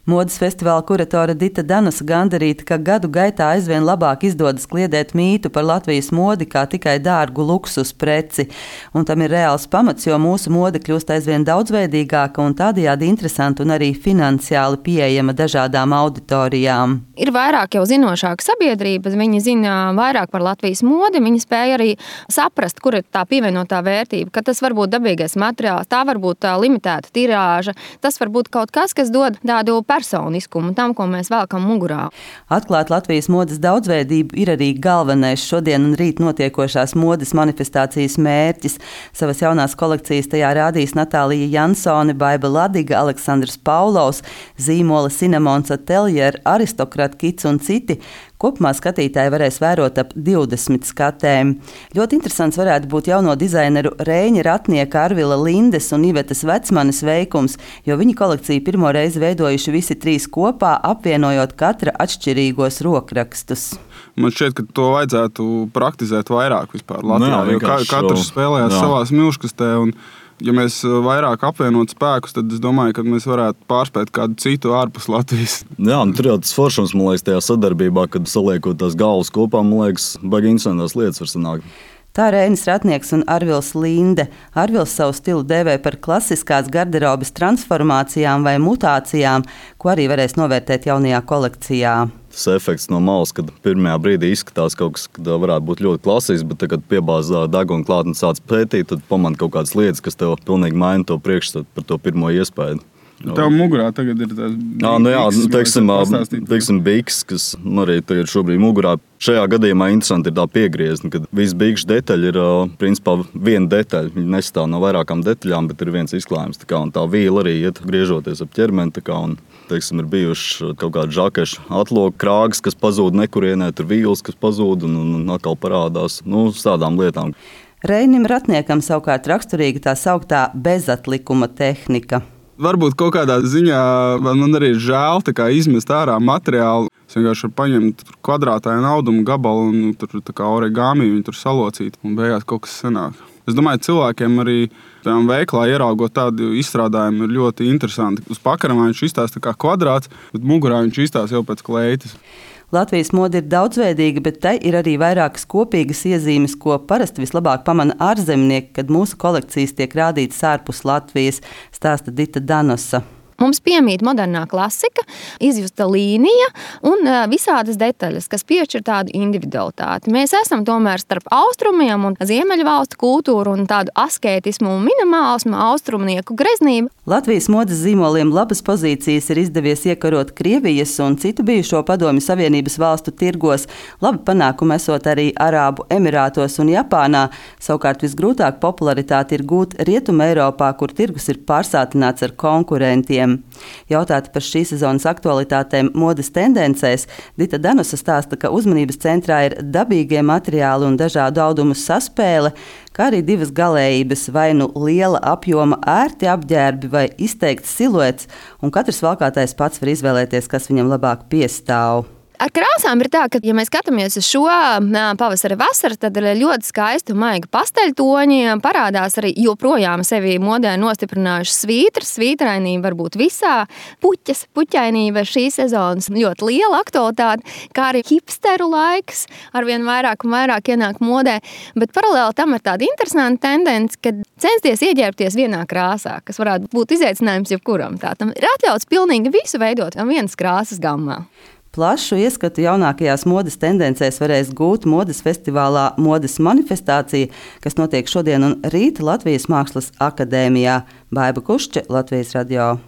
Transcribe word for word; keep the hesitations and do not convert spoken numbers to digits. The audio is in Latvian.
Modes festivāla kuratore Dita Danusa gandarīta, ka gadu gaitā aizvien labāk izdodas kliedēt mītu par Latvijas modi kā tikai dārgu luksus preci. Un tam ir reāls pamats, jo mūsu mode kļūst aizvien daudzveidīgāka un tādējādi interesanta un arī finansiāli pieejama dažādām auditorijām. Ir vairāk jau zinošāka sabiedrība, viņi zina vairāk par Latvijas modi, viņi spēja arī saprast, kur ir tā pievienotā vērtība, ka tas var būt dabīgais materiāls, tā var būt tā limitēta tirāža, tas var būt kaut kas, kas dod tādu personiskumu tam, ko mēs velkam mugurā. Atklāt Latvijas modes daudzveidību ir arī galvenais šodien un rīt notiekošās modes manifestācijas mērķis. Savas jaunās kolekcijas tajā rādīs Natālija Jansone, Baiba Ladiga, Aleksandrs Paulovs, zīmola Cinnamons Atelier, Aristokrat Kits un citi. Kopumā skatītāji varēs vērot ap divdesmit skatēm. Ļoti interesants varētu būt jauno dizaineru Reiņa Ratnieka, Arvila Lindes un Ivetas Vecmanes veikums, jo viņi kolekciju pirmo reizi veidojuši visi trīs kopā, apvienojot katra atšķirīgos rokrakstus. Man šķiet, ka to vajadzētu praktizēt vairāk vispār Latvijā, no, jo ka, katrs spēlējās jā. savās milškastē un ja mēs vairāk apvienot spēkus, tad es domāju, ka mēs varētu pārspēt kādu citu ārpus Latvijas. Jā, un tur jau tas foršums, man liekas, tajā sadarbībā, kad saliekot tās galvas kopā, man liekas, baigi interesantās lietas var sanākt. Tā Reinis Ratnieks un Arvils Linde. Arvils savu stilu dēvē par klasiskās garderobes transformācijām vai mutācijām, ko arī varēs novērtēt jaunajā kolekcijā. Tas efekts no malas, kad pirmajā brīdī izskatās kaut kas, kad varētu būt ļoti klasisks, bet tagad piebāzā deguna klāt un sāc pētīt, tad pamanā kaut kādas lietas, kas tev pilnīgi maina to priekšstatu par to pirmo iespēju. Tev mugurā tagad ir tās biks, jā, nu jā, teiksim, teiksim biks, kas arī tagad šobrīd mugurā. Šajā gadījumā interesanti ir tā piegriezni, kad visi bikšu detaļi ir principā viena detaļa. Viņi nestāv no vairākām detaļām, bet ir viens izklājums. Tā, kā, un tā vīla arī iet griežoties ap ķermeni. Tā kā, un, teiksim, ir bijuši kaut kādi žakešu atloku krāgas, kas pazūd nekurienē, tur vīles, kas pazūd un, un, un atkal parādās. Nu, uz tādām lietām. Reinim Ratniekam savukārt raksturīga tā sauktā bezatlikuma tehnika. Varbūt kaut kādā ziņā man arī ir žēl izmest ārā materiālu. Es vienkārši varu paņemt kvadrātainu audumu gabalu un tur tā kā origami viņu tur salocīt un beigās kaut kas sanāk. Es domāju, cilvēkiem arī veiklā ieraugot tādu izstrādājumu ir ļoti interesanti. Uz pakaramā viņš izstāsta kā kvadrāts, bet mugurā viņš izstāsta jau pēc kleitas. Latvijas mode ir daudzveidīga, bet tai ir arī vairākas kopīgas iezīmes, ko parasti vislabāk pamana ārzemnieki, kad mūsu kolekcijas tiek rādītas ārpus Latvijas, stāsta Dita Danusa. Mums piemīt modernā klasika, izjusta līnija un visādas detaļas, kas piešķir tādu individualitāti. Mēs esam tomēr starp austrumiem un ziemeļvalstu kultūru un tādu askētismu un minimālismu, austrumnieku greznību. Latvijas modes zīmoliem labas pozīcijas ir izdevies iekarot Krievijas un citu bijušo Padomju Savienības valstu tirgos. Labi panākumi esot arī Arābu Emirātos un Japānā. Savukārt visgrūtāk popularitāti ir gūt Rietuma Eiropā, kur tirgus ir pārsātināts ar konkurentiem. Jautāta par šīs sezonas aktualitātēm modes tendencēs, Dita Danusa stāsta, ka uzmanības centrā ir dabīgie materiāli un dažādu audumu saspēle, kā arī divas galējības, vai nu liela apjoma ērti apģērbi vai izteikts siluets, un katrs valkātais pats var izvēlēties, kas viņam labāk piestāv. Ar krāsām ir tā, ka, ja mēs skatāmies uz šo pavasara vasaru, tad ir ļoti skaisti un maigi pasteļtoņi. Parādās arī joprojām sevi modē nostiprinājuši svītras. Svītrainība var būt visā. Puķas, puķainība šīs sezonas ļoti liela aktualitāte, kā arī hipsteru laiks arvien vairāk un vairāk ienāk modē. Bet paralēli tam ir tāda interesanta tendence, ka censties ieģērbties vienā krāsā, kas varētu būt izaicinājums jebkuram. Tātad ir atļauts pilnīgi visu veidot vienas krāsas gammā. Plašu ieskatu jaunākajās modes tendencēs varēs gūt modes festivālā Modes manifestācija, kas notiek šodien un rīt Latvijas Mākslas akadēmijā. Baiba Kušče, Latvijas radio.